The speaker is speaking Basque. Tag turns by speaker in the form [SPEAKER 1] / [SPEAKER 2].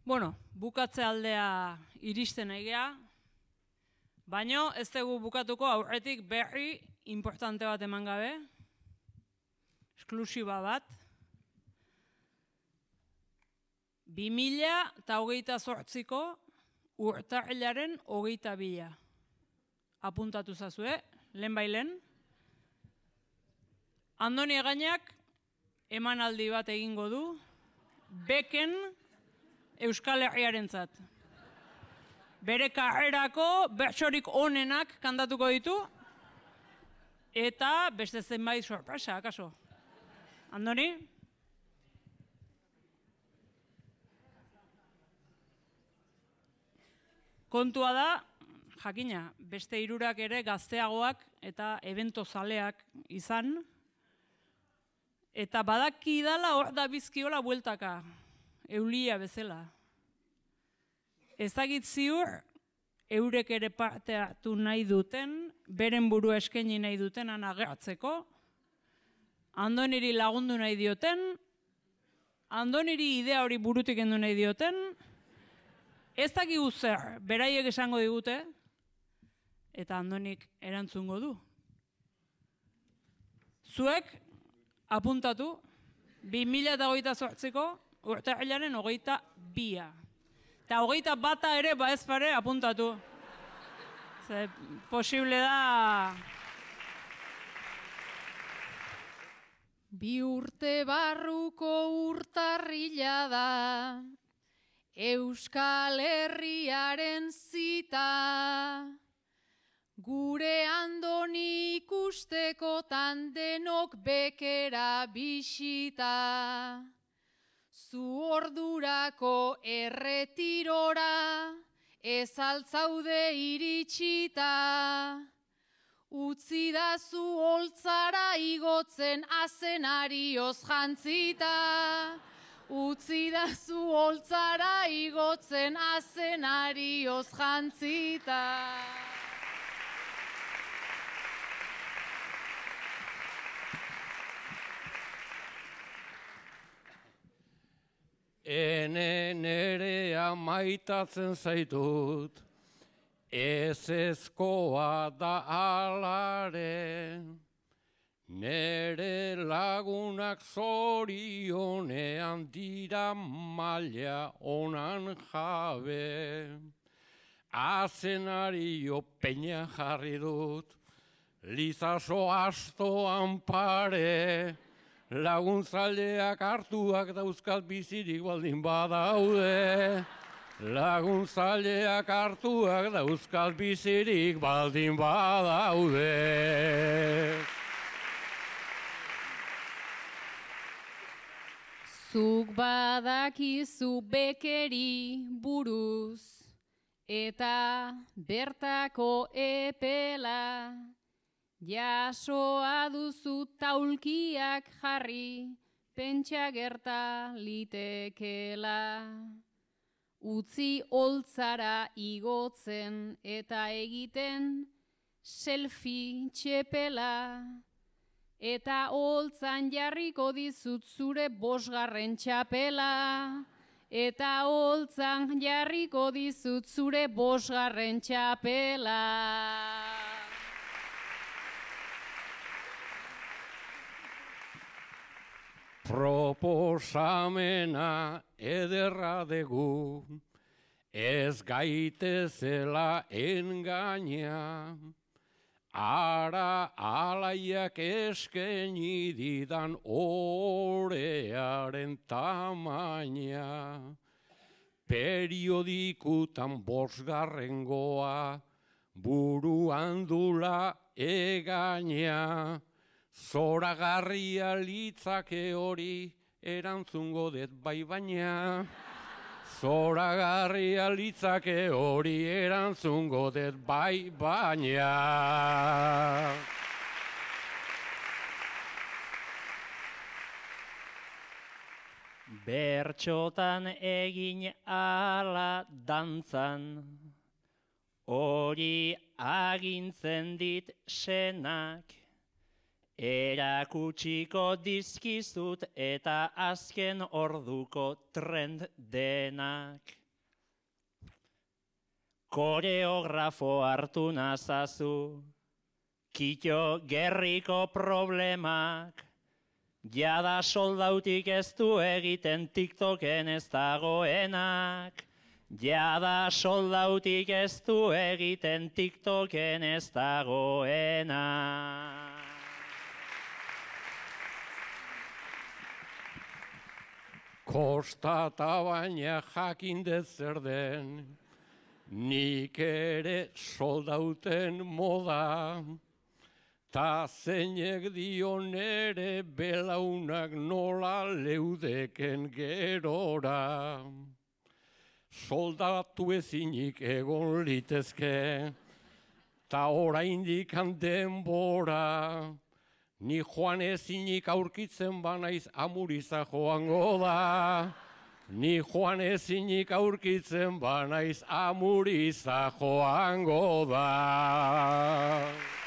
[SPEAKER 1] Bueno, bukatze aldea iristen egea, baino ez dugu bukatuko aurretik berri importante bat eman gabe, esklusiba bat. 2028ko urtarrilaren 22. Apuntatu zazue, lehen bailen. Andoni Egainak emanaldi bat egingo du, beken Euskal Herriarentzat. Bere karrerako bertsorik onenak kantatuko ditu, eta beste zenbait sorpresa, akaso. Andoni? Kontua da, jakina, beste hirurak ere gazteagoak eta ebentozaleak izan, eta badaki dala hor da bizkiola bueltaka, eulia bezala. Ezagit ziur, eurek ere parte hartu nahi duten, beren burua eskaini nahi dutenan agertzeko, Andoniri lagundu nahi dioten, Andoniri idea hori burutik endu nahi dioten, ez dakigu zer, beraiek esango digute, eta Andonik erantzungo du. Zuek, apuntatu, 2028ko urtarrilaren 22. Eta 21 ere ez pare apuntatu. Ze posible da...
[SPEAKER 2] 2 urte barruko urtarrila da, Euskal Herriaren zita, gure Andoni ikustekotan denok bekera bisita, zu ordurako erretirora, ez altzaude iritsita, utzi da zu holtzara igotzen azenarioz jantzita, utzi da zu holtzara igotzen azenarioz jantzita.
[SPEAKER 3] Ene nerea maitatzen zaitut, ezezkoa da alare, nere lagunak zorionean dira maila onan jabe. Azenario peina jarri dut, lizaso astoan pare, laguntzaileak hartuak dauzkat bizirik baldin badaude. Laguntzaileak hartuak dauzkat bizirik baldin badaude.
[SPEAKER 2] Zuk badakizu bekeri buruz, eta bertako epela, jasoa duzu taulkiak jarri, pentsa gerta litekela. Utzi holtzara igotzen eta egiten selfie txepela, eta holtzan jarriko dizut zure 5. txapela, eta holtzan jarriko dizut zure 5. txapela.
[SPEAKER 3] Proposamena ederra dugu, ez gaitezela engaina, ara alaiak eskaini didan orearen tamaina. Periodikutan 5. buruan dula egaina, zoragarria litzake hori erantzungo dut bai baina. Zoragarria litzake hori erantzungo dut bai baina.
[SPEAKER 4] Bertxotan egin ala dantzan, hori agintzen dit senak, Erakutsiko dizkizut eta azken orduko trend denak. Koreografo hartu nazazu, Kito gerriko problemak, jada soldautik ez du egiten TikToken ez dagoenak. Jada soldautik ez du egiten TikToken ez dagoenak.
[SPEAKER 3] Kostata baina jakin dut zer den, nik ere soldauten moda, ta zeinek dio nere belaunak nola leudeken gerora. Soldatu ezinik egon litezke, ta oraindik denbora. Ni joan ezinik aurkitzen banaiz Amuriza joango da. Ni joan ezinik aurkitzen banaiz Amuriza joango da.